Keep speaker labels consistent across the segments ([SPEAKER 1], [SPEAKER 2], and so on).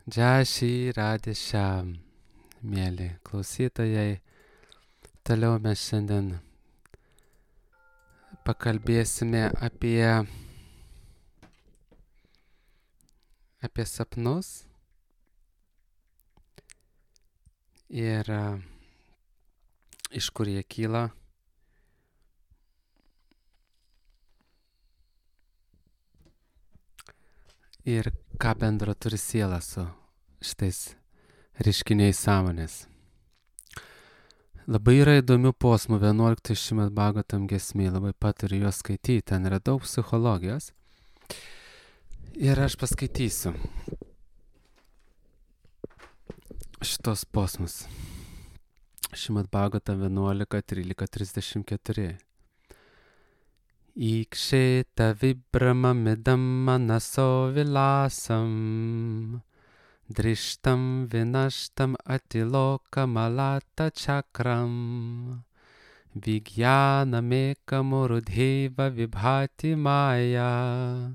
[SPEAKER 1] Džašį radę šiam, mėly klausytojai. Toliau mes šiandien pakalbėsime apie sapnus ir iš kur jie kyla. Ir ką bendro turi siela su šitais reiškiniais sąmonės. Labai yra įdomių posmų 11 Šrimad Bhagavatam giesmėj, labai patariu juos skaityti, ten yra daug psichologijos. Ir aš paskaitysiu šitos posmus. Šrimad Bhagavatam 11.13.34. Iksheta vibramamidam manaso vilasam drishtam vinashtam atilokamalata chakram Vijnanamekam-urudheva vibhati maya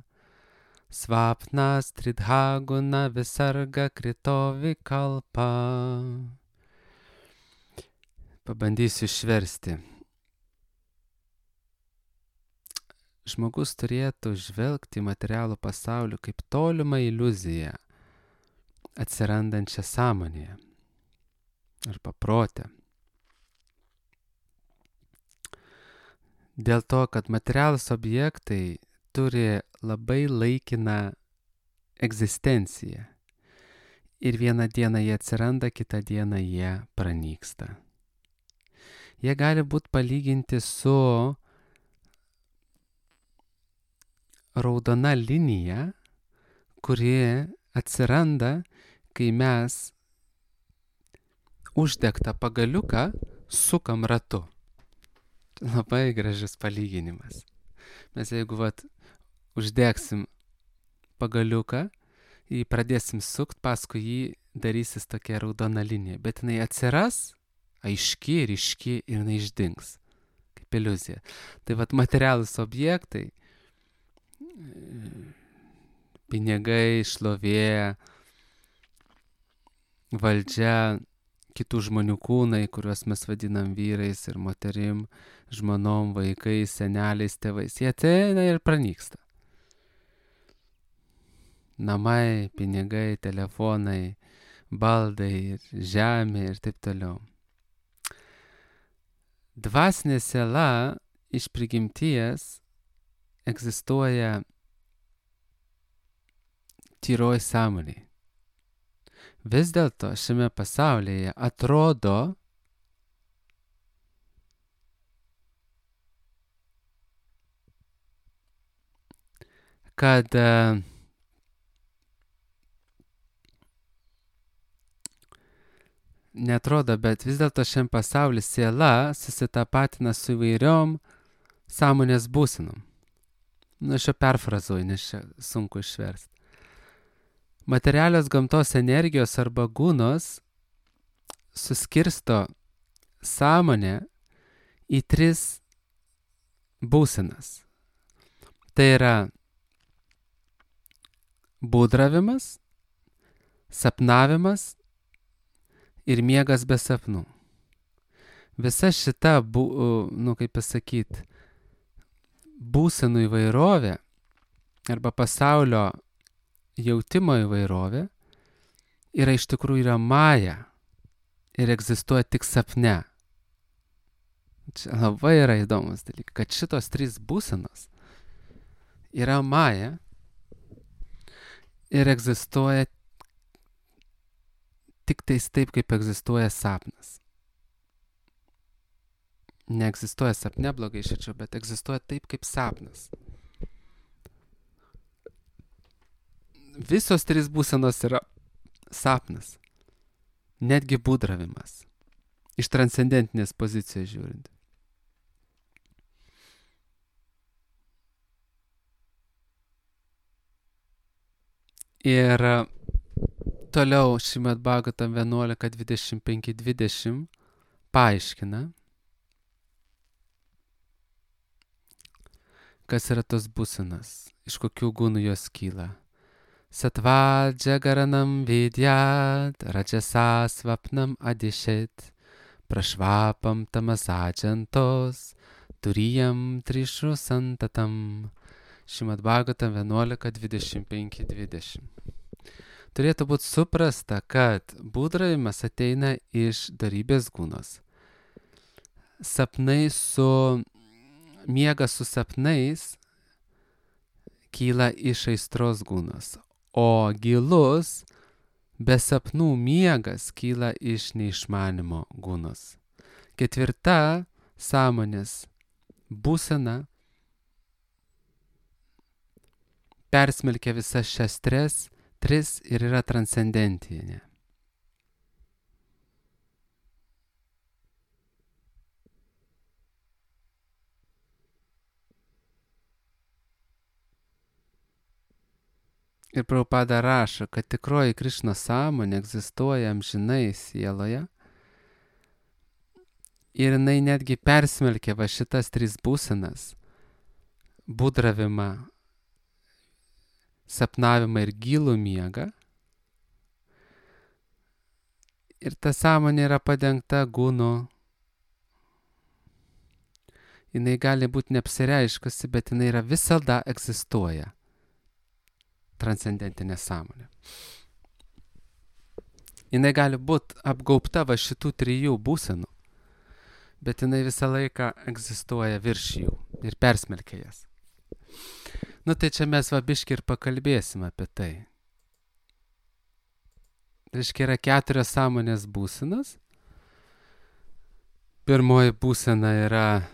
[SPEAKER 1] Svapnas tridhaguna visarga krito vikalpa. Pabandysiu išversti. Žmogus turėtų žvelgti į materialų pasaulį kaip tolimą iliuziją, atsirandančią sąmonėje arba prote. Dėl to, kad materialūs objektai turi labai laikiną egzistenciją. Ir vieną dieną jie atsiranda, kitą dieną jie pranyksta. Jie gali būti palyginti su raudona linija, kuri atsiranda, kai mes uždegtą pagaliuką sukam ratu. Labai gražus palyginimas. Mes jeigu uždegsim pagaliuką, jį pradėsim sukt, paskui jį darysis tokia raudona linija. Bet jinai atsiras, aiški, ryški ir jinai išdings. Kaip iliuzija. Tai materialūs objektai, pinigai, šlovė, valdžia, kitų žmonių kūnai, kuriuos mes vadinam vyrais ir moterim, žmonom, vaikais, seneliais, tėvais. Jie ateina ir pranyksta. Namai, pinigai, telefonai, baldai, žemė ir taip toliau. Dvasinė siela iš prigimties egzistuoja tyroj sąmonėje. Vis dėlto šiame pasaulyje atrodo, kad netrodo, bet vis dėlto šiame pasaulyje siela susitapatina su įvairiom sąmonės būsenom. Aš jau perfrazuoju, nes čia sunku išversti. Materialios gamtos energijos arba gunos suskirsto sąmonę į 3 būsenas. Tai yra būdravimas, sapnavimas ir miegas be sapnų. Visa šita, būsenų įvairovė arba pasaulio jautimo įvairovė iš tikrųjų yra maja ir egzistuoja tik sapne. Čia labai yra įdomus dalykas, kad šitos 3 būsenos yra maja ir egzistuoja tik tais taip, kaip egzistuoja sapnas. Neegzistuoja sapne, blogai išėčiau, bet egzistuoja taip, kaip sapnas. Visos 3 būsenos yra sapnas. Netgi būdravimas. Iš transcendentinės pozicijos žiūrint. Ir toliau Šrimad Bhagavatam 11.25.20 paaiškina, kas yra tos būsenos, iš kokių gunų jos kyla. Satvajagaranam vidyat, rajasa svapnam adishet, prašvapam tamasajantos, turiyam trišru santatam. Šrimad Bhagavatam 11.25-20. Turėtų būti suprasta, kad būdravimas ateina iš darybės gūnos. Miegas su sapnais kyla iš aistros gūnos, o gilus be sapnų miegas kyla iš neišmanimo gūnos. Ketvirta sąmonės būsena persmelkia visas šias tris ir yra transcendentinė. Ir Prabhupada rašo, kad tikroji Krišnos sąmonė egzistuoja amžinai sieloje ir jinai netgi persmelkia va šitas tris būsenas - būdravimą, sapnavimą ir gilų miegą. Ir ta sąmonė yra padengta gūnu. Jinai gali būti neapsireiškusi, bet jinai yra visada egzistuoja. Transcendentinė sąmonė. Jinai gali būti apgaubta va šitų trijų būsenų, bet jinai visą laiką egzistuoja virš jų ir persmelkia jas. Nu tai čia mes va biškį ir pakalbėsim apie tai. Reiškia, yra 4 sąmonės būsenos. Pirmoji būsena yra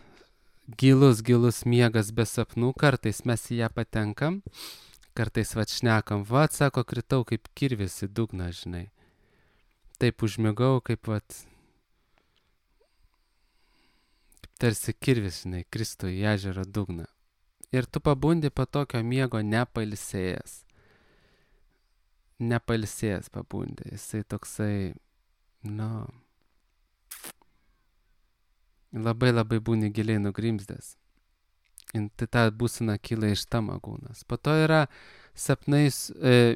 [SPEAKER 1] gilus miegas be sapnų. Kartais mes į ją patenkam, kartais va šnekam, va, sako, kritau kaip kirvis į dugną, žinai. Taip užmigau, kaip tarsi kirvis, žinai, kristų į ežero dugną. Ir tu pabundi po tokio miego nepailsėjęs. Nepailsėjęs pabundi. Jisai toksai, labai būni giliai nugrimzdęs. Tai ta būsena kyla iš tamagūnas. Po to yra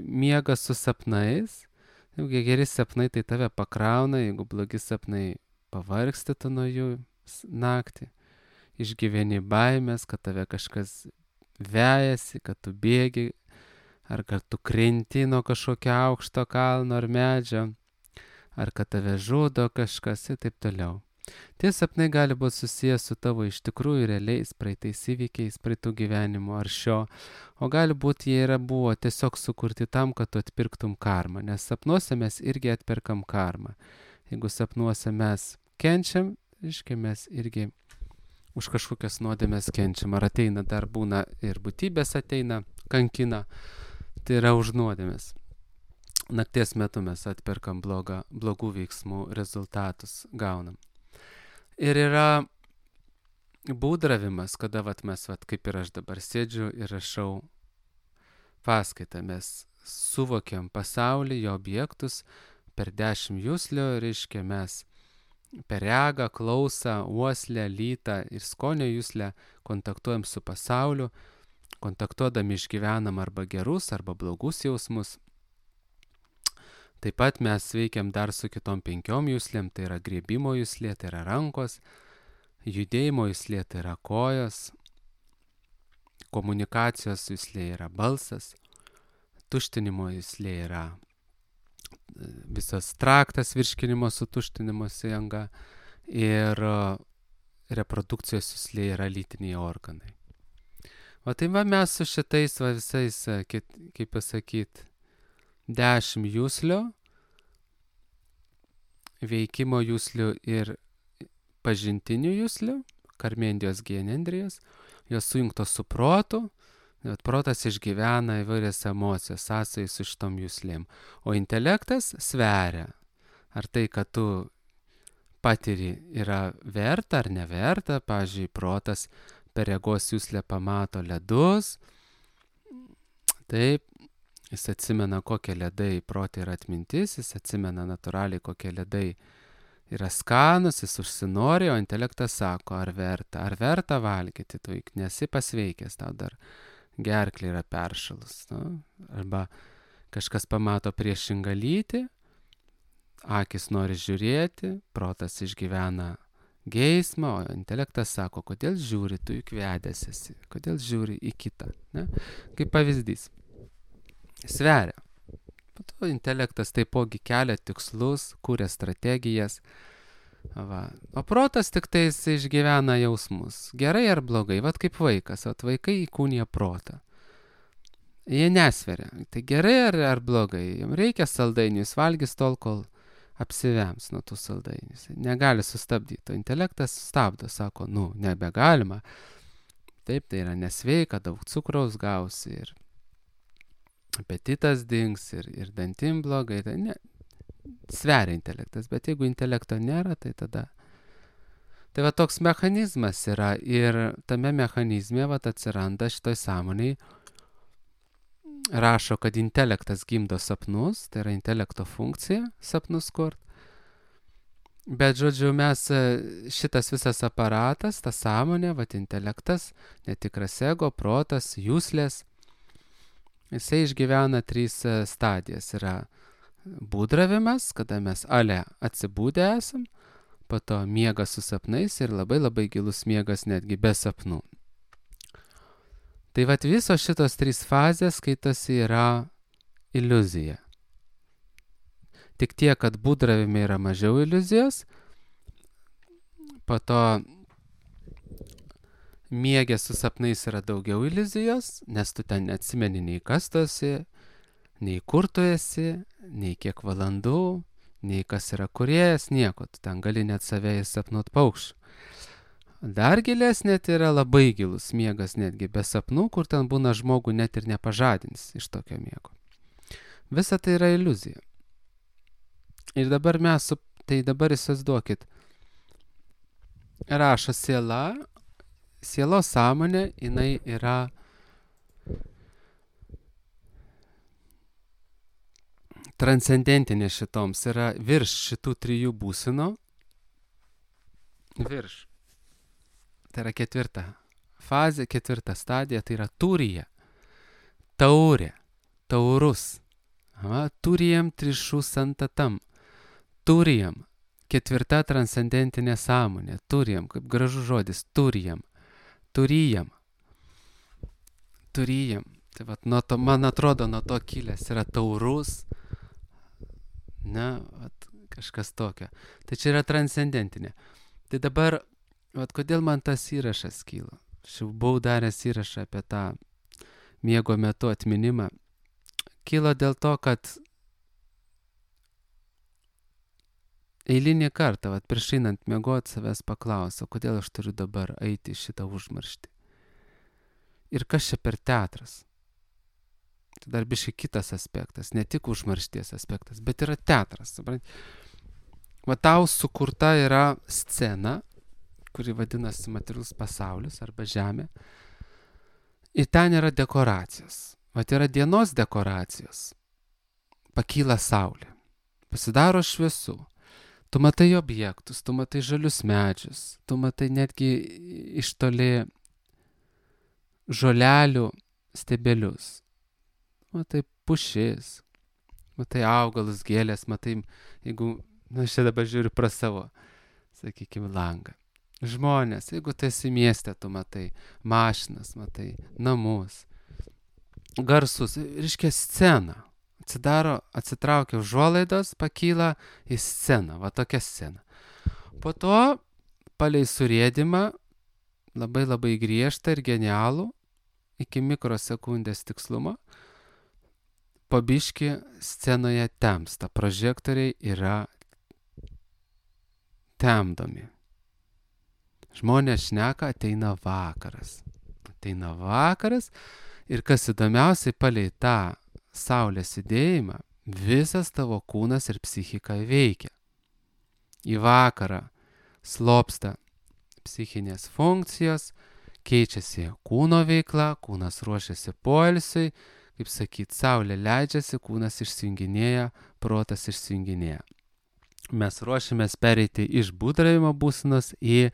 [SPEAKER 1] miegas su sapnais. Jeigu geri sapnai, tai tave pakrauna, jeigu blogi sapnai, pavargsti tu nuo jų naktį. Išgyveni baimės, kad tave kažkas vejasi, kad tu bėgi, ar kad tu krenti nuo kažkokio aukšto kalno ar medžio, ar kad tave žudo kažkas ir taip toliau. Tie sapnai gali būti susijęs su tavo iš tikrųjų realiais praeitais įvykiais, praeitų gyvenimo ar šio, o gali būti jie buvo tiesiog sukurti tam, kad tu atpirktum karmą, nes sapnuose mes irgi atperkam karmą. Jeigu sapnuose mes kenčiam, reiškia mes irgi už kažkokias nuodėmes kenčiam, ar ateina, dar būna ir būtybės ateina, kankina, tai yra už nuodėmes. Nakties metu mes atperkam blogų veiksmų rezultatus gaunam. Ir yra būdravimas, kada mes, kaip ir aš dabar sėdžiu ir rašau paskaitą, mes suvokiam pasaulį, jo objektus per 10 juslių, reiškia mes per regą, klausą, uoslę, lytą ir skonio juslę kontaktuojam su pasauliu, kontaktuodami išgyvenam arba gerus, arba blogus jausmus. Taip pat mes veikiam dar su kitom 5 juslėm, tai yra griebimo juslė, tai yra rankos, judėjimo juslė, tai yra kojos, komunikacijos juslė yra balsas, tuštinimo juslė yra visas traktas virškinimo sutuštinimosi anga ir reprodukcijos juslė yra lytiniai organai. O tai mes su šitais visais, kaip pasakyti, 10 juslių, veikimo juslių ir pažintinių juslių, karmendijos genendrijos, jos sujungtos su protu, protas išgyvena įvairias emocijas, sąsajai su šitom juslėm, o intelektas sveria, ar tai, kad tu patiri, yra verta ar neverta. Pavyzdžiui, protas per regos juslę pamato ledus, taip, jis atsimena, kokie ledai prote yra atmintis, jis atsimena natūraliai, kokie ledai yra skanus, jis užsinori, o intelektas sako, ar verta valgyti, tu nesi pasveikęs, tau dar gerklė yra peršalus. Arba kažkas pamato priešingą lytį, akis nori žiūrėti, protas išgyvena geismą, o intelektas sako, kodėl žiūri, tu juk vedęs esi, kodėl žiūri į kitą. Ne? Kaip pavyzdys. Sveria. Po to intelektas taipogi kelia tikslus, kūrė strategijas. Va. O protas tik tai išgyvena jausmus. Gerai ar blogai? Vat kaip vaikas. Vat vaikai įkūnija protą. Jie nesveria. Tai gerai ar blogai? Jums reikia saldainių, jis valgys tol, kol apsivems nuo tų saldainių. Negali sustabdyti. O intelektas stabdo, sako, nebegalima. Taip, tai yra nesveika, daug cukraus gausi ir apetitas dings ir dantim blogai. Tai ne, sveria intelektas, bet jeigu intelekto nėra, tai tada... Tai va toks mechanizmas yra ir tame mechanizme va atsiranda šitoj sąmoniai. Rašo, kad intelektas gimdo sapnus, tai yra intelekto funkcija sapnus kurt. Bet, žodžiu, mes šitas visas aparatas, ta sąmonė, va intelektas, netikras ego, protas, jūslės, jisai išgyvena 3 stadijas. Yra būdravimas, kada mes atsibūdę esam, po to miegas su sapnais ir labai labai gilus miegas netgi be sapnų. Tai vat visos šitos 3 fazės skaitosi yra iliuzija. Tik tiek, kad būdravime yra mažiau iliuzijos, po to miegė su sapnais yra daugiau iliuzijos, nes tu ten neatsimeni nei kas tu esi, nei kur tu esi, nei kiek valandų, nei kas yra kūrėjas, nieko. Tu ten gali net save įsapnuot paukščių. Dar gilesnė tai yra labai gilus miegas netgi be sapnų, kur ten būna žmogų net ir nepažadins iš tokio miego. Visa tai yra iliuzija. Ir dabar tai dabar įsivaizduokit, rašo siela, sielos sąmonė, jinai yra transcendentinė šitoms, yra virš šitų 3 būsenų, virš. Tai yra 4 fazė, 4 stadija, tai yra turija, taurė, taurus, turijam trišų santatam, turijam, 4 transcendentinė sąmonė, turijam, kaip gražus žodis, turijam, turijam. Tai vat, man atrodo, nuo to kilęs yra taurus, kažkas tokio. Tai čia yra transcendentinė. Tai dabar, vat, kodėl man tas įrašas kyla? Aš jau buvau daręs įrašą apie tą miego metu atminimą. Kilo dėl to, kad eilinį kartą, vat, prieš einant miegot, savęs paklausiau, kodėl aš turiu dabar eiti šitą užmarštį. Ir kas čia per teatras? Tai dar biškai kitas aspektas, ne tik užmaršties aspektas, bet yra teatras. Va tau sukurta yra scena, kuri vadinasi materialus pasaulis arba žemė. Ir ten yra dekoracijos. Va yra dienos dekoracijos. Pakyla saulė. Pasidaro šviesu. Tu matai objektus, tu matai žalius medžius, tu matai netgi iš toli žolelių stebelius. Matai pušis, matai augalus, gėlės, matai, jeigu, aš čia dabar žiūriu pro savo, sakykime, langą. Žmonės, jeigu tu esi mieste, tu matai mašinas, matai namus, garsus, reiškia sceną. Atsitraukia užuolaidos, pakyla į sceną, va tokia scena. Po to, palei surėdimą, labai labai griežtą ir genialų, iki mikrosekundės tikslumo, po biškį scenoje temsta, prožektoriai yra temdomi. Žmonės šneka, ateina vakaras. Ateina vakaras ir kas įdomiausiai, palei tą saulės judėjimą, visas tavo kūnas ir psichika veikia. Į vakarą slopsta psichinės funkcijos, keičiasi kūno veikla, kūnas ruošiasi poilsiui, kaip sakyt, saulė leidžiasi, kūnas išsijunginėja, protas išsijunginėja. Mes ruošiamės pereiti iš būdravimo būsenos į,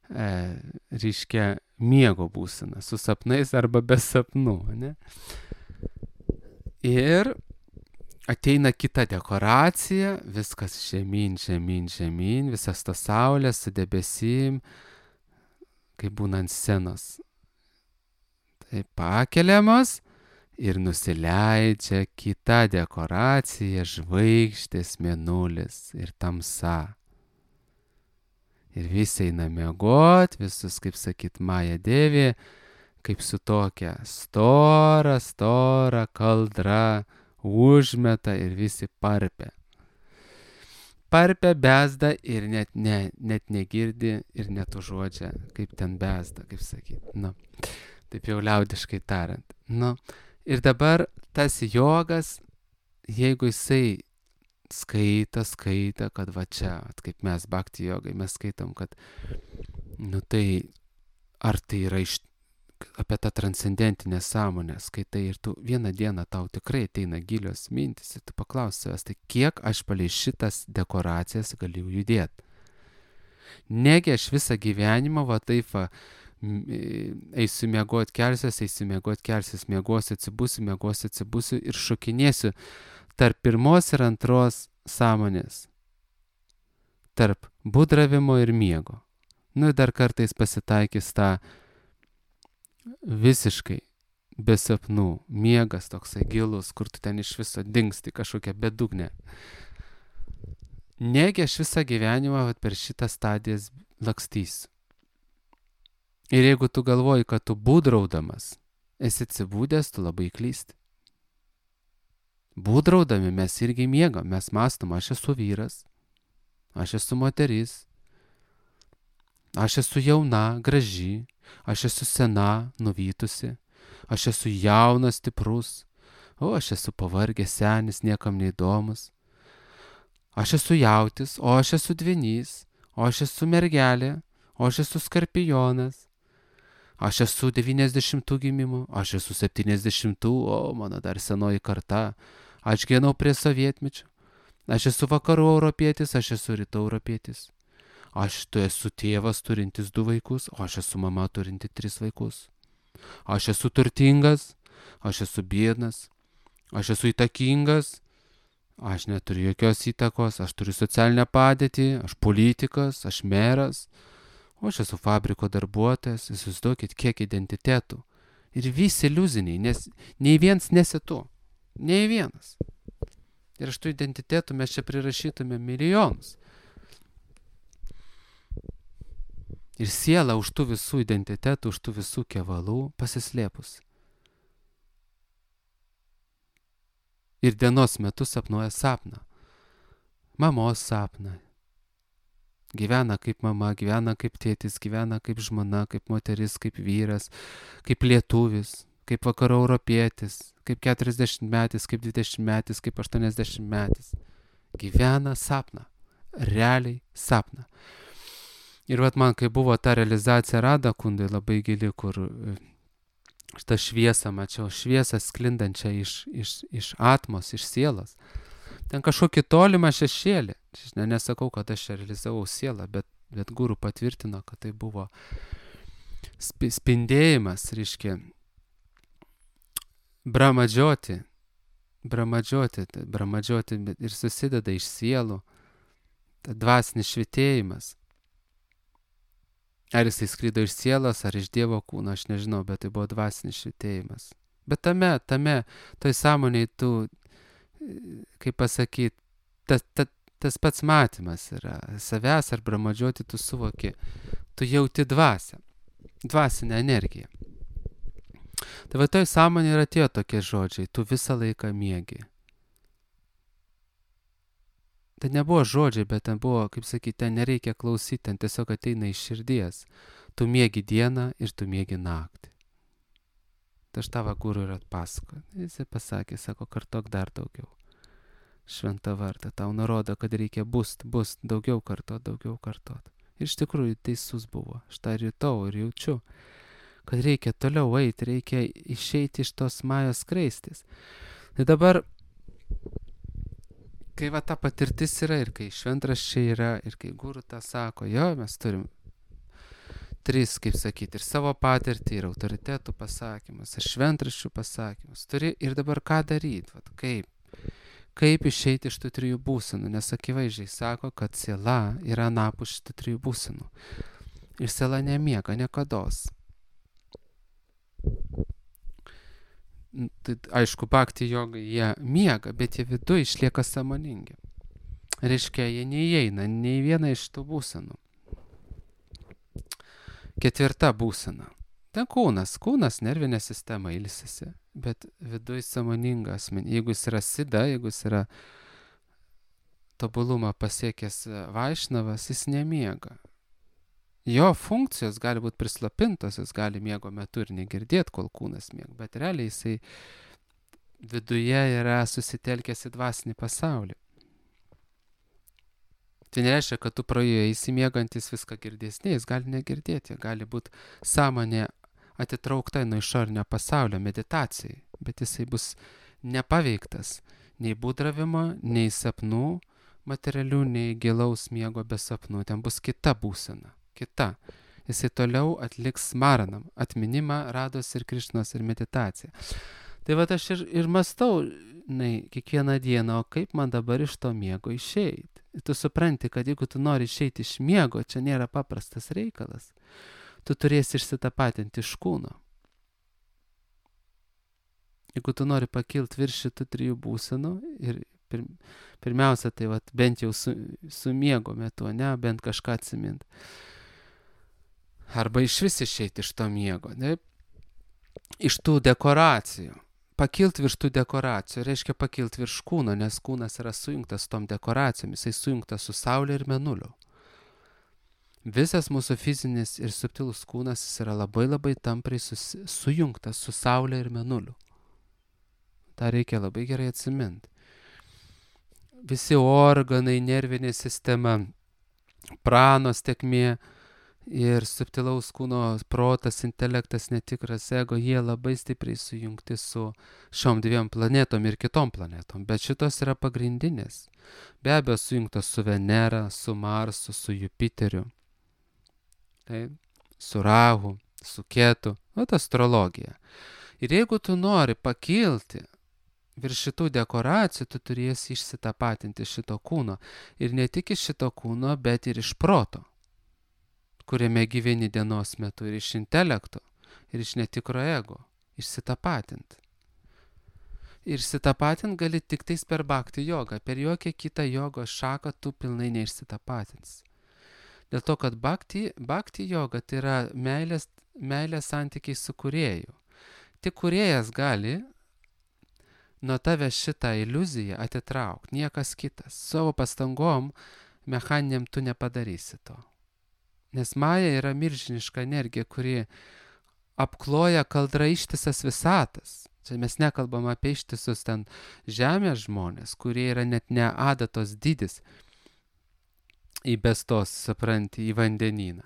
[SPEAKER 1] reiškia, miego būseną, su sapnais arba be sapnų, ne? Ir ateina kita dekoracija, viskas žemyn, žemyn, žemyn, visas tas saulės su debesim, kaip būna ant scenos. Tai pakeliamos ir nusileidžia kita dekoracija, žvaigždės, mėnulis ir tamsa. Ir visi eina miegot, visus, kaip sakyt, Maja Devė, kaip su tokia stora kaldra, užmeta ir visi parpia. Parpia, bezda ir net negirdi ir net užuodžia, kaip ten bezda, kaip sakyt. Nu, taip jau liaudiškai tariant. Nu, ir dabar tas jogas, jeigu jisai skaita, kad va čia, kaip mes bhakti jogai, mes skaitom, kad, nu tai, ar tai yra apie tą transcendentinę sąmonę, skaitai ir tu vieną dieną tau tikrai ateina gilios mintis ir tu paklausi savęs, tai kiek aš palei šitas dekoracijas galiu judėti. Negi aš visą gyvenimą va taip va, eisiu miegot, kelsiuos, miegosiu, atsibusiu ir šokinėsiu tarp pirmos ir antros sąmonės, tarp būdravimo ir miego. Nu ir dar kartais pasitaikys tą visiškai be sapnų, miegas toksai gilus, kur tu ten iš viso dingsti kažkokią bedugnę. Negi aš visą gyvenimą per šitą stadijas lakstysiu. Ir jeigu tu galvoji, kad tu būdraudamas esi atsibūdęs, tu labai klysti. Būdraudami mes irgi miegam, mes mąstom, aš esu vyras, aš esu moteris, aš esu jauna, graži, aš esu sena, nuvytusi, aš esu jaunas, stiprus, o aš esu pavargęs, senis, niekam neįdomus. Aš esu jautis, o aš esu dvinys, o aš esu mergelė, o aš esu skorpionas. Aš esu 90 gimimų, aš esu 70, o mano dar senoji karta. Aš gyvenau prie sovietmečio. Aš esu vakarų europietis, aš esu rytų europietis. Aš esu tėvas turintis 2 vaikus, o aš esu mama turinti 3 vaikus. Aš esu turtingas, aš esu biednas, aš esu įtakingas, aš neturiu jokios įtakos, aš turiu socialinę padėtį, aš politikas, aš meras, o aš esu fabriko darbuotojas, įsivaizduokit, kiek identitetų. Ir visi iliuziniai, nes nei vienas nesi tu, nei vienas. Ir iš tų identitetų mes čia prirašytume milijonus. Ir siela už tų visų identitetų, už tų visų kevalų pasislėpus. Ir dienos metu sapnuoja sapną. Mamos sapną. Gyvena kaip mama, gyvena kaip tėtis, gyvena kaip žmona, kaip moteris, kaip vyras, kaip lietuvis, kaip vakarų europietis, kaip 40 metis, kaip 20 metis, kaip 80 metis. Gyvena sapną. Realiai sapną. Ir vat man, kai buvo ta realizacija Rada Kundai labai gili, kur šitą šviesą mačiau, šviesą sklindančią iš atmos, iš sielos. Ten kažkokį tolimą šešėlį. Nesakau, kad aš realizavau sielą, bet guru patvirtino, kad tai buvo spindėjimas, reiškia, bramadžioti ir susideda iš sielų, dvasinis švitėjimas. Ar jisai skrydo iš sielos, ar iš Dievo kūno, aš nežinau, bet tai buvo dvasinis švitėjimas. Bet tame, toj sąmonėj tu, kaip pasakyti, tas pats matymas yra. Savęs ar bramadžioti tu suvoki, tu jauti dvasią, dvasinę energiją. Tai va toj sąmonėj yra tie tokie žodžiai, tu visą laiką miegi. Tai nebuvo žodžiai, bet ten buvo, kaip sakyti, ten nereikia klausyti, ten tiesiog ateina iš širdies. Tu miegi dieną ir tu miegi naktį. Tai aš tavo guru ir atpasakoju. Jis pasakė, sako, kartok dar daugiau. Šventą vardą, tau nurodo, kad reikia bust, daugiau kartot. Ir iš tikrųjų teisus buvo. Aš tą rytau ir jaučiu, kad reikia toliau eiti, reikia išeiti iš tos majos skraistės. Tai dabar, kai va ta patirtis yra ir kai šventraščiai yra ir kai guru tą sako, jo, mes turim 3, kaip sakyti, ir savo patirtį, ir autoritetų pasakymus, ir šventraščių pasakymus. Turi ir dabar ką daryti, vat, kaip išeiti iš tų trijų būsenų, nes akivaizdžiai sako, kad siela yra anapus šitų trijų būsenų. Ir siela nemiega niekados. Tai aišku, bhakti jogai jie miega, bet jie viduje išlieka sąmoningi. Reiškia, jie neįeina nei vieną iš tų būsenų. Ketvirta būsena. Ten kūnas, nervinė sistema ilsisi, bet viduje sąmoninga asmenį. Jeigu jis yra sida, jeigu jis yra tobulumą pasiekęs vaišnavas, jis nemiega. Jo funkcijos gali būti prislopintos, jis gali miego metu ir negirdėti, kol kūnas miega, bet realiai jisai viduje yra susitelkęs į dvasinį pasaulį. Tai nereiškia, kad tu pro jį įsimiegantis viską girdės, ne, jis gali negirdėti, gali būti sąmonė atitraukta nuo išorinio pasaulio meditacijai, bet jisai bus nepaveiktas nei būdravimo, nei sapnų materialių, nei gilaus miego be sapnų. Ten bus kita būsena. Kita. Jisai toliau atliks maranam, atminimą, rados ir Krišnos ir meditaciją. Tai va aš ir mąstau, kiekvieną dieną, o kaip man dabar iš to miego išeiti. Ir tu supranti, kad jeigu tu nori išeiti iš miego, čia nėra paprastas reikalas. Tu turėsi išsitapatinti iš kūno. Jeigu tu nori pakilti virš šitų trijų būsenų ir pirmiausia, tai vat, bent jau su miego metu, ne, bent kažką atsiminti. Arba iš vis išeiti iš to miego, ne? Iš tų dekoracijų. Pakilti virš tų dekoracijų reiškia pakilti virš kūno, nes kūnas yra sujungtas tom dekoracijomis, jisai sujungtas su Saulė ir Mėnuliu. Visas mūsų fizinis ir subtilus kūnas jis yra labai labai tampriai sujungtas su Saulė ir Mėnuliu. tą reikia labai gerai atsiminti. Visi organai, nervinė sistema, pranos tekmė ir subtilaus kūno protas, intelektas, netikras ego, jie labai stipriai sujungti su šiom dviem planetom ir kitom planetom, bet šitos yra pagrindinės. Be abejo, sujungtos su Venera, su Marsu, su Jupiteriu, tai, su Rahu, su Ketu, astrologija. Ir jeigu tu nori pakilti virš šitų dekoracijų, tu turėsi išsitapatinti šito kūno. Ir ne tik iš šito kūno, bet ir iš proto, kuriame gyveni dienos metu, ir iš intelekto, ir iš netikro ego. Išsitapatinti. Ir išsitapatinti gali tik tais per bhakti jogą. Per jokią kitą jogos šaką tu pilnai neišsitapatinsi. Dėl to, kad bhakti joga tai yra meilės santykiai su kūrėju. Tik kūrėjas gali nuo tave šitą iliuziją atitraukti, niekas kitas. Savo pastangom mechaniniam tu nepadarysi to. Nes maja yra milžiniška energija, kuri apkloja kaldra ištisas visatas. Čia mes nekalbam apie ištisus ten žemės žmonės, kurie yra net ne adatos dydis įbestos, supranti, į vandenyną.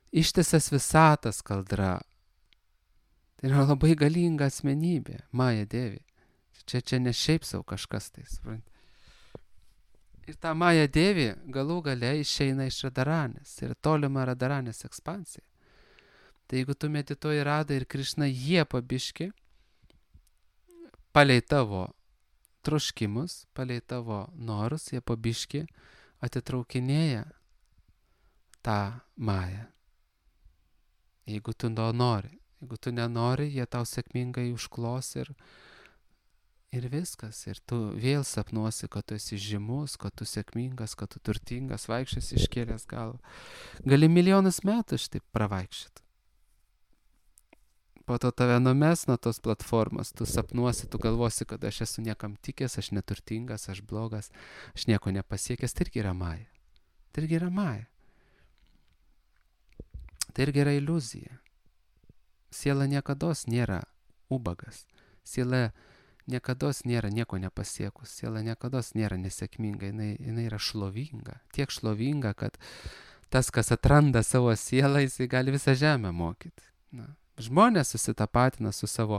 [SPEAKER 1] Ištisas visatas kaldra. Tai yra labai galinga asmenybė, Maja Devi. Čia ne šiaip savo kažkas tai, supranti. Ir ta Maja Devi galų gale išeina iš Radaranės. Tai yra tolima Radaranės ekspansija. Tai jeigu tu medituoji Radą ir Krišną, jie pabiški, palei tavo troškimus, palei tavo norus, jie pabiški atitraukinėja tą Mają. Jeigu tu to nori. Jeigu tu nenori, jie tau sėkmingai užklos ir viskas. Ir tu vėl sapnuosi, kad tu esi žymus, kad tu sėkmingas, kad tu turtingas, vaikščiasi iškėlęs galvą. Gali milijonus metų šitaip pravaikščioti. Po to tave numes nuo tos platformos, tu sapnuosi, tu galvosi, kad aš esu niekam tikęs, aš neturtingas, aš blogas, aš nieko nepasiekęs. Tai irgi yra Maja. Tai irgi yra Maja. Tai irgi yra iliuzija. Siela niekados nėra ubagas. Siela niekados nėra nieko nepasiekus. Siela niekados nėra nesėkminga. Jinai yra šlovinga. Tiek šlovinga, kad tas, kas atranda savo sielą, jisai gali visą žemę mokyti. Žmonės susitapatina su savo,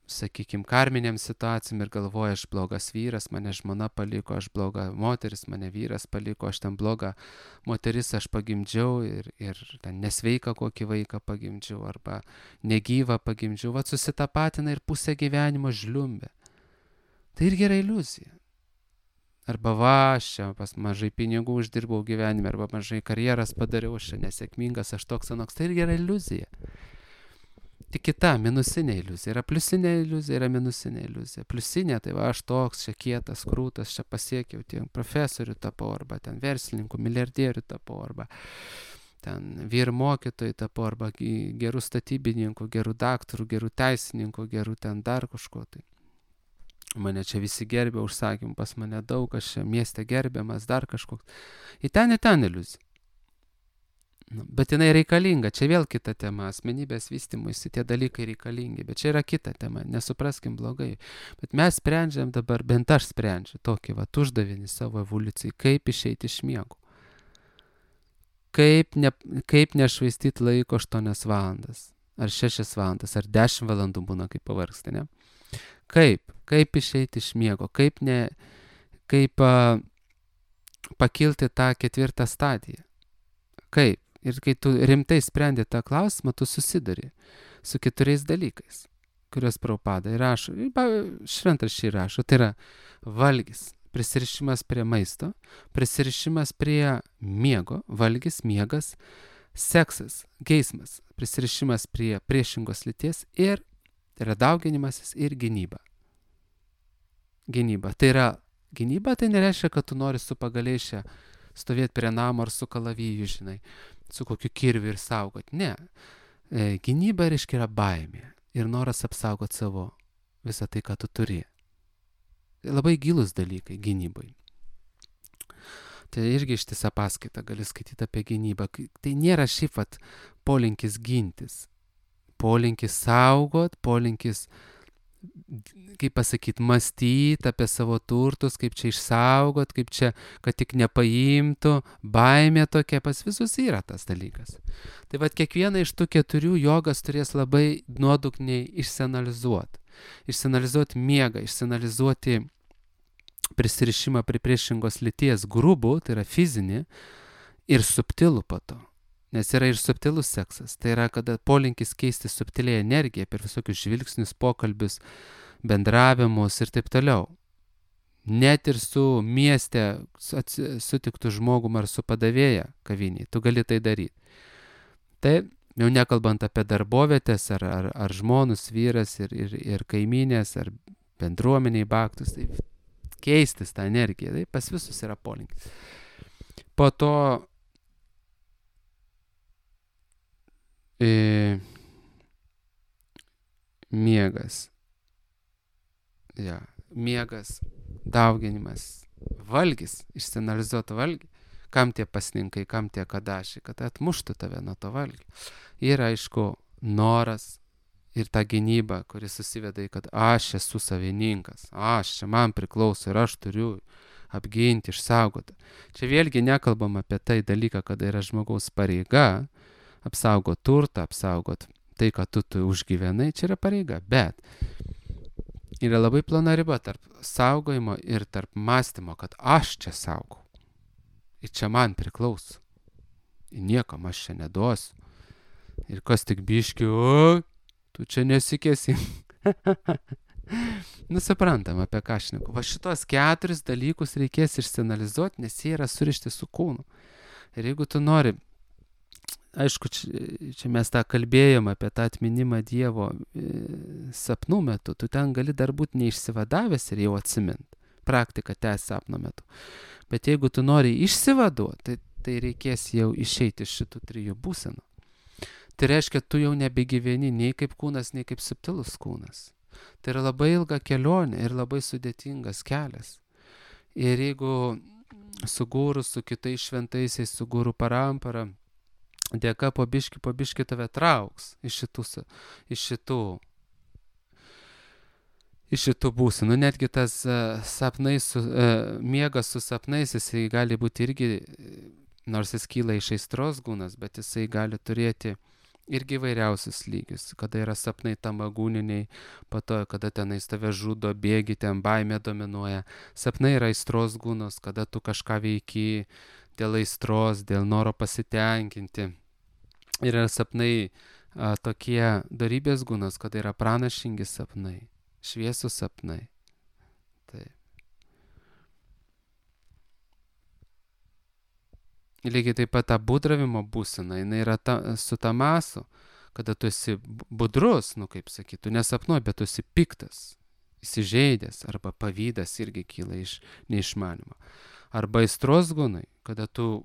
[SPEAKER 1] sakykime, karminėm situacijom ir galvoja, aš blogas vyras, mane žmona paliko, aš bloga moteris, mane vyras paliko, aš ten bloga moteris, aš pagimdžiau ir ten nesveiką kokį vaiką pagimdžiau arba negyvą pagimdžiau. Vat susitapatina ir pusę gyvenimo žliumbė. Tai irgi yra iliuzija. Arba aš čia mažai pinigų uždirbau gyvenime, arba mažai karjeras padariau, aš čia nesėkmingas, aš toks anoks. Tai irgi yra iliuzija. Tik kita, minusinė iliuzija. Yra pliusinė iliuzija, yra minusinė iliuzija. Pliusinė, tai aš toks, čia kietas, krūtas, čia pasiekiau, tiek profesorių tapau, arba ten verslininkų, milijardierių tapau, arba ten vyr mokytojų tapau, arba gerų statybininkų, gerų daktarų, gerų teisininkų, gerų ten dar kažko tai. Mane čia visi gerbė, užsakymų pas mane daug, aš čia mieste gerbiamas, dar kažkoks. Į ten iliuzija. Bet jinai reikalinga, čia vėl kita tema, asmenybės vystymuisi, tie dalykai reikalingi, bet čia yra kita tema, nesupraskim blogai. Bet mes sprendžiam dabar, bent aš sprendžiu tokį uždavinį savo evoliucijai, kaip išeiti iš miego. Kaip nešvaistyti laiko 8 valandas, ar 6 valandas, ar 10 valandų būna, kaip pavargsti, ne? Kaip išeiti iš miego, kaip pakilti tą 4 stadiją. Kaip? Ir kai tu rimtai sprendi tą klausimą, tu susiduri su 4 dalykais, kuriuos Prabhupada įrašo, šventraščiai rašo. Tai yra valgis, prisirišimas prie maisto, prisirišimas prie miego, valgis, miegas, seksas, geismas, prisirišimas prie priešingos lyties ir tai yra dauginimasis ir gynyba. Gynyba. Tai yra gynyba, tai nereiškia, kad tu nori su pagalėšia stovėti prie namo ar su kalaviju, žinai, su kokiu kirviu ir saugot. Ne. Gynyba reiškia yra baimė ir noras apsaugoti savo visą tai, ką tu turi. Labai gilus dalykai gynybai. Tai irgi ištisa paskaita gali skaityti apie gynybą. Tai nėra šiaip polinkis gintis. Polinkis saugot, polinkis, kaip pasakyti, mąstyti apie savo turtus, kaip čia išsaugot, kaip čia, kad tik nepaimtų, baimė tokia, pas visus yra tas dalykas. Tai kiekvieną iš tų 4 jogas turės labai nuodugniai išsianalizuoti. Išsianalizuoti miegą, išsianalizuoti prisirišimą prie priešingos lyties grubų, tai yra fizinį, ir subtilų po to. Nes yra ir subtilus seksas. Tai yra, kada polinkis keisti subtiliai energiją per visokius žvilgsnius, pokalbius, bendravimus ir taip toliau. Net ir su mieste sutiktų žmogum ar su padavėja kaviniai, tu gali tai daryti. Tai jau nekalbant apie darbovietės ar žmonus, vyras ir kaiminės, ar bendruomeniai baktus, tai keistis tą energiją, tai pas visus yra polinkis. Po to miegas. Miegas, dauginimas, valgis, išsianalizuoti valgį. Kam tie pasninkai, kam tie kadašiai, kad atmuštų tave nuo to valgio. Ir aišku, noras ir ta gynyba, kuris susiveda į, kad aš esu savininkas, čia man priklauso ir aš turiu apginti, išsaugoti. Čia vėlgi nekalbam apie tai dalyką, kada yra žmogaus pareiga apsaugot turtą, apsaugot tai, kad tu užgyvenai, čia yra pareiga, bet yra labai plona riba tarp saugojimo ir tarp mąstymo, kad aš čia saugau. Ir čia man priklauso. Ir niekam aš čia neduosiu. Ir kas tik biški, tu čia nesikėsi. Suprantam, apie ką šneku. Šitos 4 dalykus reikės išsianalizuoti, nes jie yra surišti su kūnu. Ir jeigu tu nori, aišku, čia mes tą kalbėjom apie tą atminimą Dievo sapnų metu, tu ten gali dar būti neišsivadavęs ir jau atsimint. Praktika tęs sapno metu. Bet jeigu tu nori išsivaduoti, tai reikės jau išeiti iš šitų 3 būsenų. Tai reiškia, tu jau nebegyveni nei kaip kūnas, nei kaip subtilus kūnas. Tai yra labai ilga kelionė ir labai sudėtingas kelias. Ir jeigu su guru, su kitais šventaisiais, su guru parampara, dėka po biški tave trauks iš šitų būsenų. Netgi tas miegas su sapnais, jisai gali būti irgi, nors jis kyla iš aistros gūnas, bet jisai gali turėti irgi vairiausius lygius, kada yra sapnai tamagūniniai, po to, kada tenais tave žudo, bėgi, ten baimė dominuoja. Sapnai yra aistros gūnos, kada tu kažką veiki dėl aistros, dėl noro pasitenkinti. Yra sapnai tokie dorybės gūnos, kada yra pranašingi sapnai, šviesūs sapnai. lygiai taip pat ta būdravimo būsena, jinai yra su tamasu, kada tu esi budrus, kaip sakyt, tu nesapnuoji, bet tu esi piktas, įsižeidęs, arba pavydas irgi kyla iš neišmanimo. Arba aistros gūnai, kada tu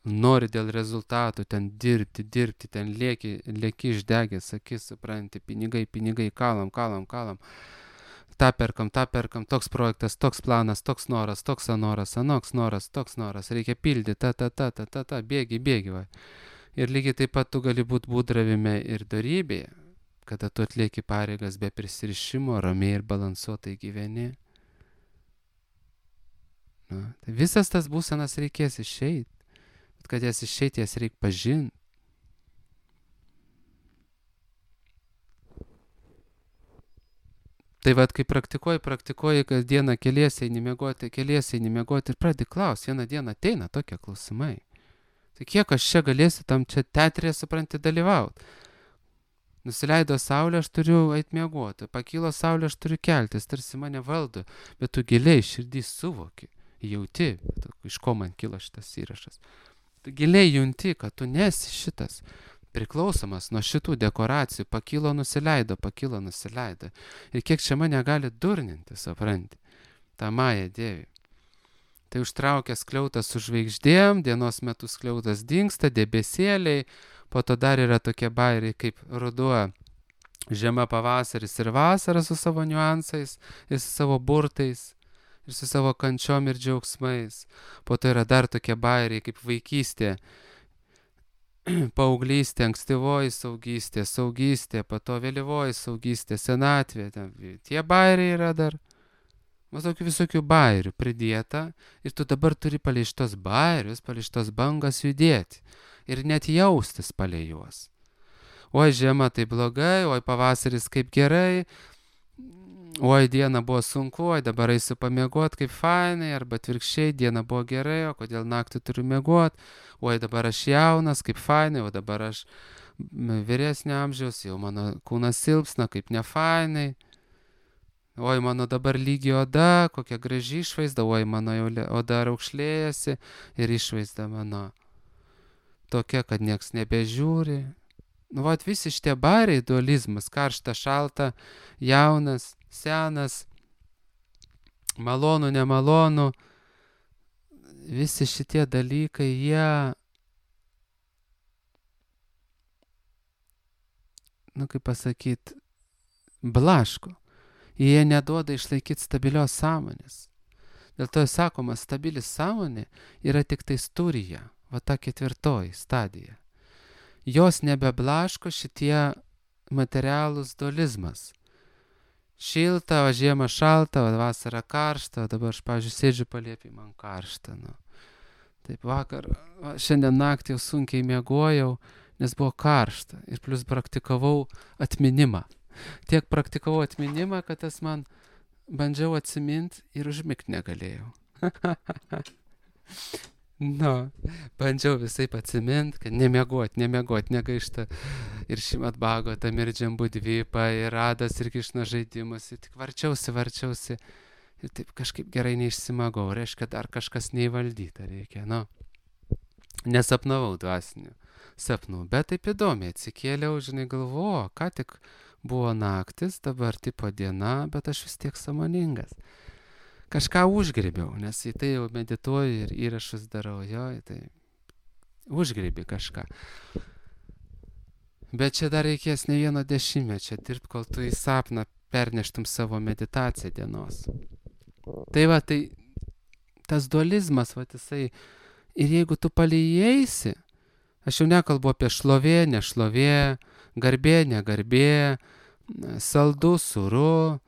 [SPEAKER 1] nori dėl rezultatų ten dirbti, ten lieki išdegęs akis, supranti, pinigai, kalam. Ta perkam, toks projektas, toks planas, toks noras, toks anoks noras, reikia pildyti, bėgi, va. Ir lygiai taip pat tu gali būti būdravime ir dorybėje, kada tu atlieki pareigas be prisirišimo, ramiai ir balansuotai gyveni. Tai visas tas būsenas reikės išeiti, bet kad jas išeiti, jas reikia pažinti. Tai vad, kai praktikuoji kasdieną, keliesi eini miegoti ir pradedi klausti, vieną dieną ateina tokie klausimai. Tai kiek aš čia galėsiu tam čia teatrėje, supranti, dalyvauti? Nusileido saulė, aš turiu eiti miegoti, pakilo saulė, aš turiu keltis, tarsi mane valdo, bet tu giliai širdį suvoki, jauti, iš ko man kilo šitas įrašas. Tu giliai junti, kad tu nesi šitas priklausomas nuo šitų dekoracijų, pakilo, nusileido. Ir kiek čia mane gali durninti, supranti, tą Mają Dievį. Tai užtraukia skliautas su žvaigždėm, dienos metu skliautas dingsta, debesėliai, po to dar yra tokie bairiai kaip ruduo, žiema, pavasaris ir vasara su savo niuansais, ir su savo burtais, ir su savo kančiom ir džiaugsmais. Po to yra dar tokie bairiai kaip vaikystė, paauglystė, ankstyvoji saugystė, po to vėlyvoji saugystė, senatvė. Tie bairiai yra dar. Tokių visokių bairių pridėta ir tu dabar turi palei šitos bairius, palei šitos bangas judėti ir net jaustis palei juos. Oi, žiema tai blogai, oi, pavasaris kaip gerai, oi, diena buvo sunku, oi, dabar eisiu pamiegoti kaip fainai, arba atvirkščiai, diena buvo gerai, o kodėl naktį turiu miegoti, oi, dabar aš jaunas, kaip fainai, o dabar aš vyresnio amžiaus, jau mano kūnas silpsna, kaip nefainai. Oi, mano dabar lygi oda, kokia graži išvaizda, oi, mano jau oda raukšlėjasi ir išvaizda mano tokia, kad nieks nebežiūri. Vat visi šitie bairiai, dualizmas, karšta, šalta, jaunas, senas, malonu, nemalonu, visi šitie dalykai, jie, kaip pasakyti, blaško. Jie neduoda išlaikyti stabilios sąmonės. Dėl to sakoma, stabili sąmonė yra tik tai studija, va ta 4 stadija. Jos nebeblaško šitie materialūs dualizmas. Šilta, o žiema šalta, o vasara karšta, o dabar aš, pavyzdžiui, sėdžiu palėpį, man karšta. Taip vakar, šiandien naktį jau sunkiai miegojau, nes buvo karšta ir plus praktikavau atminimą. Tiek praktikavau atminimą, kad tas man bandžiau atsiminti ir užmigti negalėjau. Bandžiau visai atsiminti, kad nemiegot, negaišta ir Šrimat Bhagavatam, ir Džambudvipa, ir Radas, ir Krišna žaidimas. Ir tik varčiausi ir taip kažkaip gerai neišsimagau. Reiškia, dar kažkas neįvaldyta reikia. Nesapnavau dvasinių sapnų, bet taip įdomiai atsikėliau, galvoju, ką tik buvo naktis, dabar tipo diena, bet aš vis tiek sąmoningas. Kažką užgribiau, nes į tai jau medituoju ir įrašus darau, tai užgribi kažką. Bet čia dar reikės ne 1 dešimtmečio dirbti, kol tu į sapną perneštum savo meditaciją dienos. Tai va, tai tas dualizmas, va, jisai, ir jeigu tu palieisi, aš jau nekalbu apie šlovė, nešlovė, garbė, negarbė, saldu, sūru,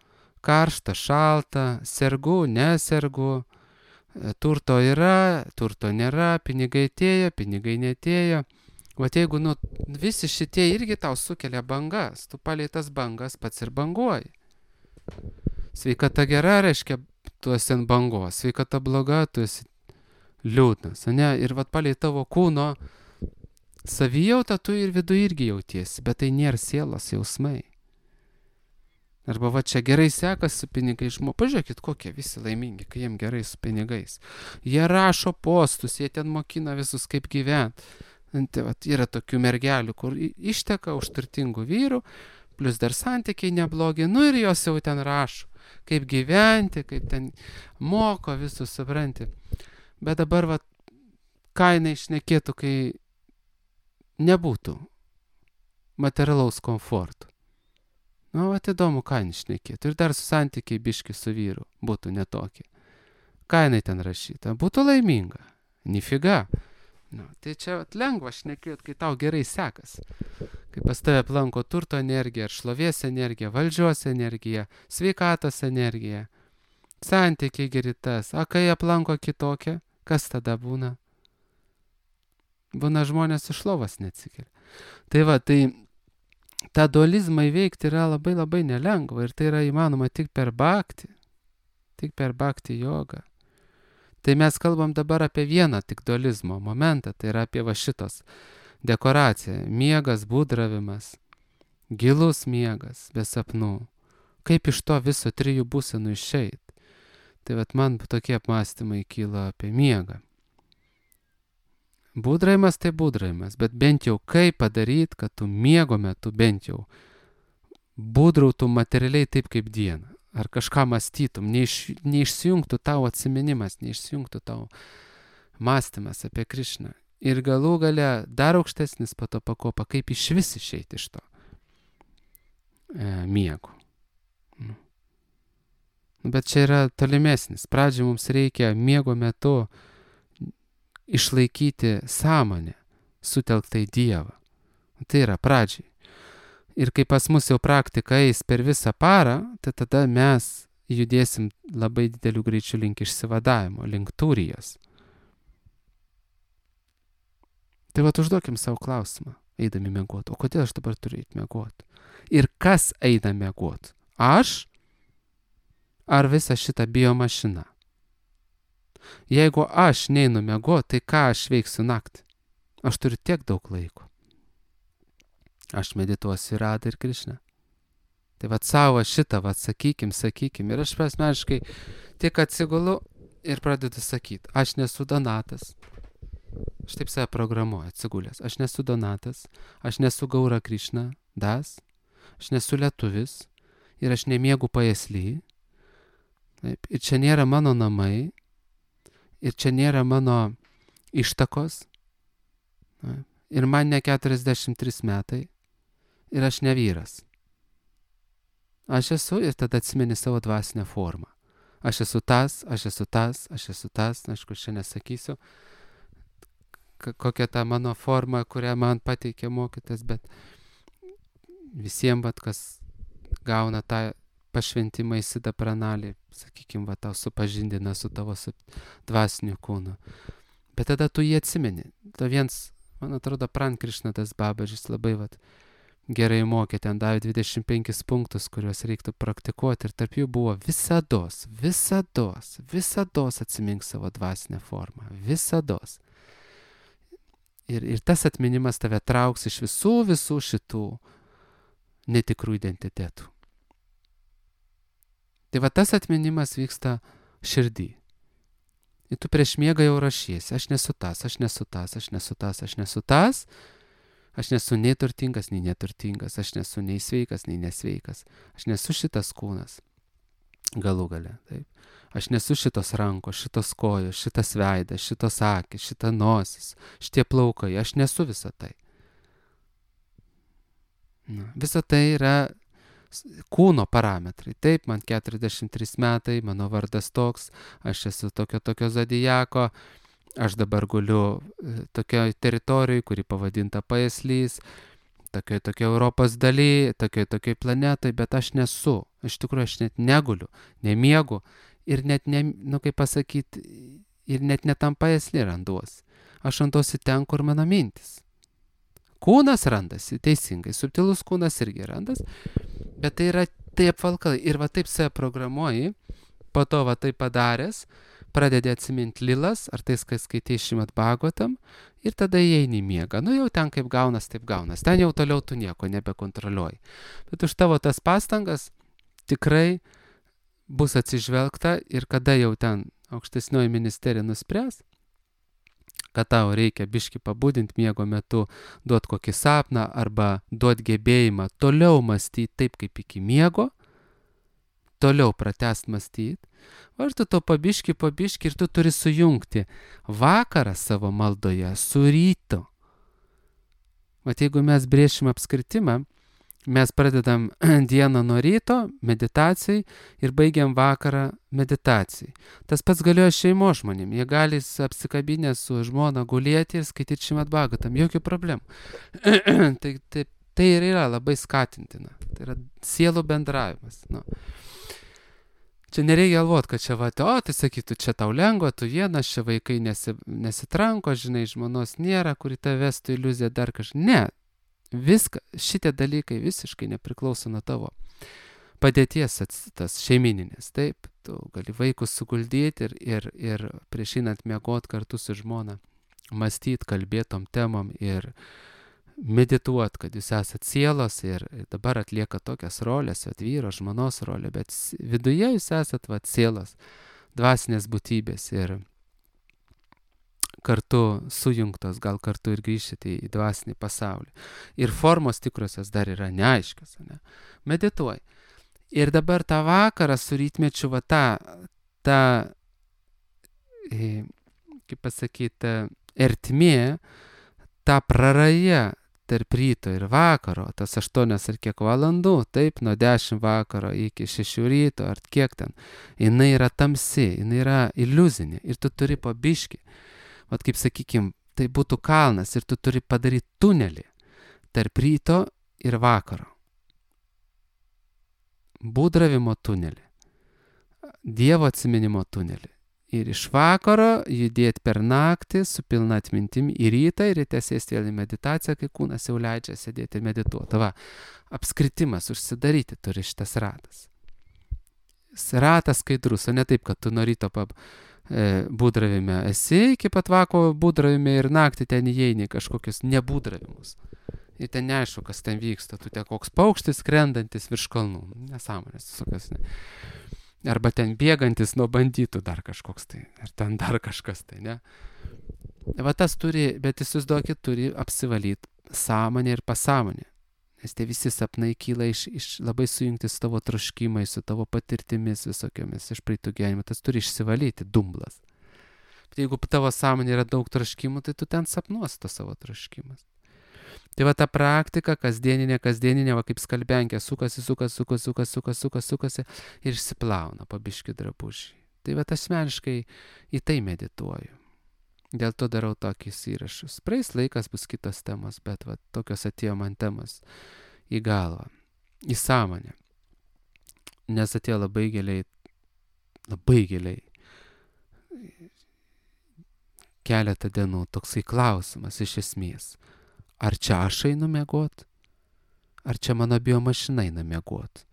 [SPEAKER 1] karšta, šalta, sergu, nesergu, turto yra, turto nėra, pinigai atėjo, pinigai netėjo. Vat jeigu visi šitie irgi tau sukelia bangas, tu palei tas bangas pats ir banguoji. Sveikata gera, reiškia, tu esi ant bangos, sveikata bloga, tu esi liūdnas. Ir vat palei tavo kūno savijautą tu ir viduje irgi jautiesi, bet tai nėra sielos jausmai. Arba va čia gerai sekasi su pinigais. Pažiūrėkit, kokie visi laimingi, kai jiem gerai su pinigais. Jie rašo postus, jie ten mokina visus kaip gyventi. Tai va, yra tokių mergelių, kur išteka už turtingų vyrų, plus dar santykiai neblogi, ir jos jau ten rašo, kaip gyventi, kaip ten moko visus, supranti. Bet dabar va, ką jinai šnekėtų, kai nebūtų materialaus komforto. Va, įdomu, ką jinai šnekėtų. Ir dar su santykiai biški su vyru būtų netokie. Ką jinai ten rašyta? Būtų laiminga. Nifiga. Tai čia lengva šnekėti, kai tau gerai sekasi. Kai pas tave aplanko turto energija, ar šlovės energija, valdžios energija, sveikatos energija, santykiai geri tas. A kai aplanko kitokia, kas tada būna? Būna žmonės iš lovos neatsikelia. Tai va, tai tą dualizmą įveikti yra labai labai nelengva ir tai yra įmanoma tik per bhakti jogą. Tai mes kalbam dabar apie vieną tik dualizmo momentą, tai yra apie va šitos dekoraciją. Miegas, būdravimas, gilus miegas, be sapnų. Kaip iš to viso 3 būsenų išeit? Tai vat man tokie apmąstymai kyla apie miegą. Būdravimas tai būdravimas, bet bent jau kaip padaryti, kad tu miego metu bent jau būdrautum materialiai taip kaip dieną. Ar kažką mąstytum, neišsijungtų tau atsiminimas, neišsijungtų tau mąstymas apie Krišną. Ir galų gale dar aukštesnis po to pakopa, kaip iš vis išeiti iš to miego. Bet čia yra tolimesnis. Pradžiai mums reikia miego metu išlaikyti sąmonę, sutelktą į Dievą. Tai yra pradžiai. Ir kai pas mus jau praktika eis per visą parą, tai tada mes judėsim labai didelių greičių link išsivadavimo, link turijos. Tai vat užduokim savo klausimą, eidami miegoti. O kodėl aš dabar turiu eiti miegoti? Ir kas eina miegoti? Aš? Ar visa šita biomašina? Jeigu aš neinu miegoti, tai ką aš veiksiu naktį? Aš turiu tiek daug laiko. Aš medituosiu į Radą ir Krišną. Tai vat savo šitą, vat sakykim. Ir aš asmeniškai tik atsigulu ir pradedu sakyti, aš nesu Donatas. Aš taip save programuoju, atsigulęs. Aš nesu Donatas, aš nesu Gaura Krišna, Das, aš nesu lietuvis ir aš nemiegu pajasly. Taip, ir čia nėra mano namai, ir čia nėra mano ištakos. Taip, ir man ne 43 metai. Ir aš ne vyras. Aš esu ir tada atsimeni savo dvasinę formą. Aš esu tas. Aišku, aš čia nesakysiu, kokia ta mano forma, kurią man pateikė mokytas, bet visiems, kas gauna tą pašventimą į Siddha Pranalį, sakykime, tau supažindina su tavo dvasiniu kūnu. Bet tada tu jį atsimeni. To viens, man atrodo, Pran Krišnadas Babažis labai gerai mokė, ten davė 25 punktus, kuriuos reiktų praktikuoti ir tarp jų buvo visados atsimink savo dvasinę formą. Visados. Ir tas atminimas tave trauks iš visų šitų netikrų identitetų. Tai va tas atminimas vyksta širdį. Ir tu prieš miegą jau rašiesi, aš nesu tas. Aš nesu nei turtingas, nei neturtingas, aš nesu nei sveikas, nei nesveikas. Aš nesu šitas kūnas. Galų gale, taip. Aš nesu šitos rankos, šitos kojos, šitas veidas, šitos akis, šita nosis, šitie plaukai. Aš nesu visa tai. Visa tai yra kūno parametrai. Taip, man 43 metai, mano vardas toks, aš esu tokio zodiako. Aš dabar guliu tokioj teritorijai, kuri pavadinta Pajaslys, tokioj Europos daly, tokioj planetoj, bet aš nesu. Iš tikrųjų, aš net neguliu, nemiegu ir net, ir net netam Pajasly randuosi. Aš randuosi ten, kur mano mintis. Kūnas randasi, teisingai, subtilus kūnas irgi randas, bet tai yra taip apvalkalai. Ir va taip save programuoji, po to va taip padaręs, pradedi atsiminti lilas, ar tai skaitai Šrimad Bhagavatam, ir tada įeini į miegą. Jau ten kaip gaunas, taip gaunas. Ten jau toliau tu nieko nebekontroliuoji. Bet už tavo tas pastangas tikrai bus atsižvelgta ir kada jau ten aukštesnioji ministerija nuspręs, kad tau reikia biškį pabudinti miego metu, duot kokį sapną arba duot gebėjimą toliau mąstyti taip, kaip iki miego, toliau pratęst mąstyti, o ir tu to pabiškį ir tu turi sujungti vakarą savo maldoje su rytu. Vat jeigu mes brėšim apskritimą, mes pradedam dieną nuo ryto meditacijai ir baigiam vakarą meditacijai. Tas pats galioja šeimos žmonėm. Jie gali apsikabinę su žmona gulėti ir skaityti Šrimad Bhagavatam. Jokių problemų. Tai ir yra labai skatintina. Tai yra sielų bendravimas. Nu. Čia nereikia galvoti, kad čia tai sakytų, čia tau lengva, tu vienas, čia vaikai nesitranko, žinai, žmonos nėra, kuri tave vestų iliuziją dar kažką. Ne. Šitie dalykai visiškai nepriklauso nuo tavo padėties tas šeimininės. Taip, tu gali vaikus suguldyti ir prieš einant miegot kartu su žmona, mąstyti, kalbėtom temom ir medituoti, kad jūs esat sielos ir dabar atlieka tokias rolės, vyro, žmonos rolė, bet viduje jūs esat sielos, dvasinės būtybės ir kartu sujungtos, gal kartu ir grįžti į dvasinį pasaulį. Ir formos tikrosios dar yra neaiškios. Ne? Medituoji. Ir dabar tą vakarą su rytmečiu kaip pasakyti, ertmė, ta praraja tarp ryto ir vakaro, tas 8 ar kiek valandų, taip, nuo 10 vakaro iki 6 ryto, ar kiek ten, jinai yra tamsi, jinai yra iliuzinė ir tu turi po biškį. Vat kaip sakykim, tai būtų kalnas ir tu turi padaryti tunelį tarp ryto ir vakaro. Būdravimo tunelį. Dievo atsiminimo tunelį. Ir iš vakaro judėti per naktį su pilna atmintim į rytą ir ryte sėsti vėl į meditaciją, kai kūnas jau leidžia sėdėti ir medituoti. Va, apskritimas užsidaryti turi šitas ratas. Ratas skaidrus, o ne taip, kad tu nuo ryto būdravime esi, iki pat vakaro būdravime ir naktį ten įeini kažkokius nebūdravimus. Ir ten neaišku, kas ten vyksta. Tu ten koks paukštis skrendantis virš kalnų. Nesąmonės visokios. Ne. Arba ten bėgantis nuo bandytų dar kažkoks tai. Ar ten dar kažkas tai, ne. Va tas turi, bet įsivaizduokit, turi apsivalyti sąmonę ir pasąmonę. Nes tie visi sapnai kyla iš labai sujungti su tavo troškimais, su tavo patirtimis visokiomis iš praeitų gyvenimų. Tas turi išsivalyti, dumblas. Bet jeigu tavo sąmonė yra daug troškimų, tai tu ten sapnuosi to savo troškimas. Tai va ta praktika, kasdieninė, va kaip skalbenkė, sukasi ir išsiplauna pabiški drabužiai. Tai va asmeniškai į tai medituoju. Dėl to darau tokius įrašus. Praeis laikas bus kitos temos, bet va, tokios atėjo man temos į galvą, į sąmonę. Nes atėjo labai giliai keletą dienų toksai klausimas iš esmės. Ar čia aš einu miegot? Ar čia mano biomašina eina miegot?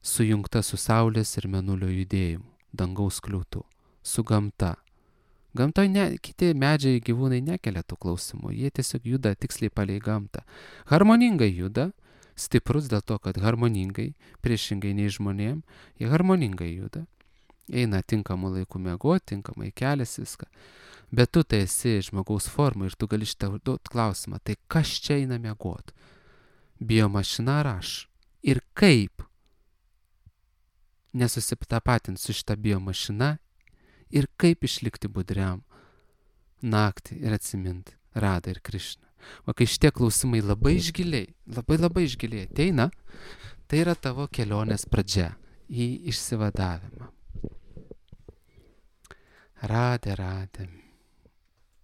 [SPEAKER 1] Sujungta su saulės ir mėnulio judėjimu, dangaus kliūtų, su gamta. Gamtoje kiti medžiai gyvūnai nekelia tų klausimų, jie tiesiog juda tiksliai palei gamtą. Harmoningai juda, stiprus dėl to, kad harmoningai, priešingai nei žmonėm, jie harmoningai juda. Eina tinkamų laikų miegoti, tinkamai keliasi viską. Bet tu tai esi žmogaus forma ir tu gali šitą duoti klausimą, tai kas čia eina miegoti? Biomašina ar aš? Ir kaip nesusitapatinti su šitą biomašina? Ir kaip išlikti budriam naktį ir atsiminti Radą ir Krišną. O kai šitie klausimai labai išgiliai ateina, tai yra tavo kelionės pradžia į išsivadavimą. Radė.